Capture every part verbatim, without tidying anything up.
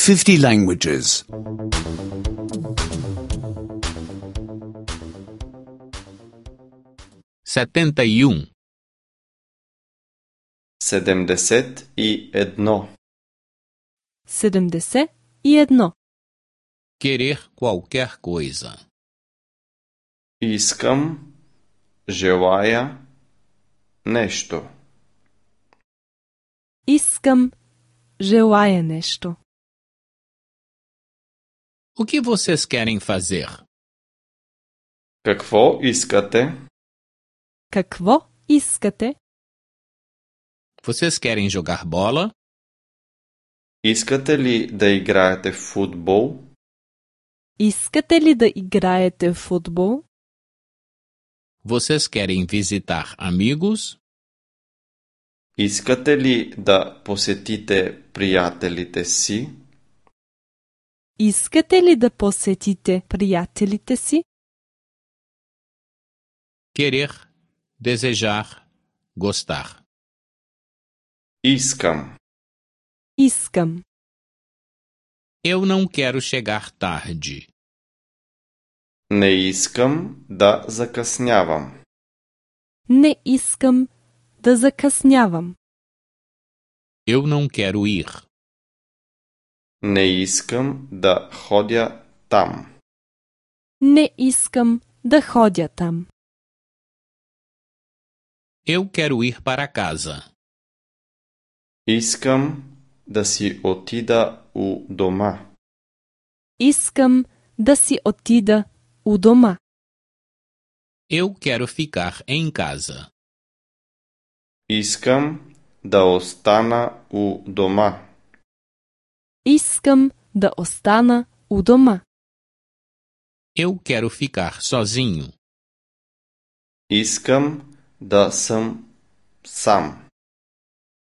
fifty languages. setenta e um. седемдесет и едно. седемдесет и едно. Querer qualquer coisa. Искам, желая нешто. Искам, желая нешто. O que vocês querem fazer? Какво искате? Какво искате? Vocês querem jogar bola? Искате ли да играете футбол? Искате ли да играете футбол? Vocês querem visitar amigos? Искате ли да посетите приятелите си? Искате ли да посетите приятелите си? Querer, desejar, gostar. Искам. Искам. Eu não quero chegar tarde. Не искам да закъснявам. Не искам да закъснявам. Eu não quero ir. Не искам да ходя там. Не искам да ходя там. Eu quero ir para casa. Искам да си отида у дома. Искам да си отида у дома. Eu quero ficar em casa. Искам да остана у дома. Искам да остана у дома. Eu quero ficar sozinho. Искам да съм сам.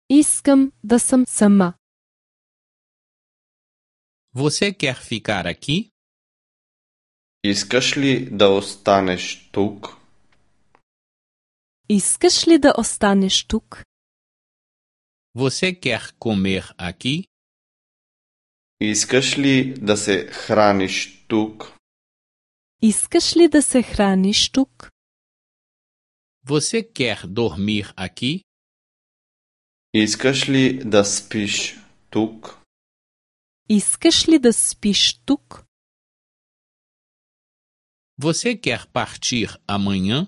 Искам да съм сама. Você quer ficar aqui? Искаш ли да останеш тук? Искаш ли да останеш тук? Você quer comer aqui? Искаш ли да се храниш тук? Искаш ли да се храниш тук? Você quer dormir aqui? Искаш ли да спиш тук? Искаш ли да спиш тук? Você quer partir amanhã?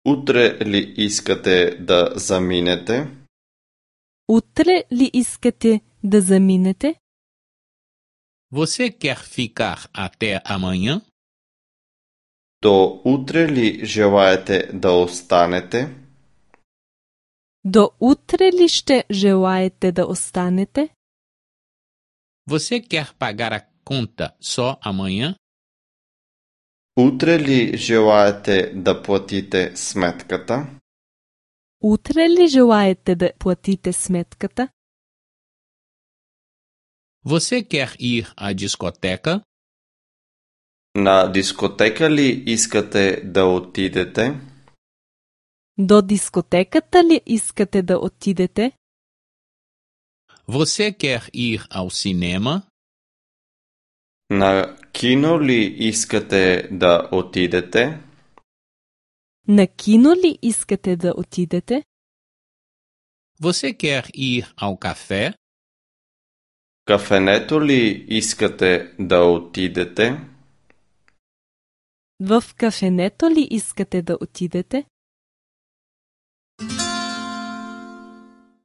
Утре ли искате да заминете? Утре ли искате да заминете? Você quer ficar até amanhã? До утре ли желаете да останете? До утре ли ще желаете да останете? Você quer pagar a conta só amanhã? Утре ли желаете да платите сметката? Утре ли желаете да платите сметката? Você quer ir à discoteca? На дискотека ли искате да отидете? До дискотеката ли искате да отидете? Você quer ir ao cinema? На кино ли искате да отидете? На кино ли искате да отидете? Você quer ir ao café? Кафенето ли искате да отидете? В кафенето ли искате да отидете?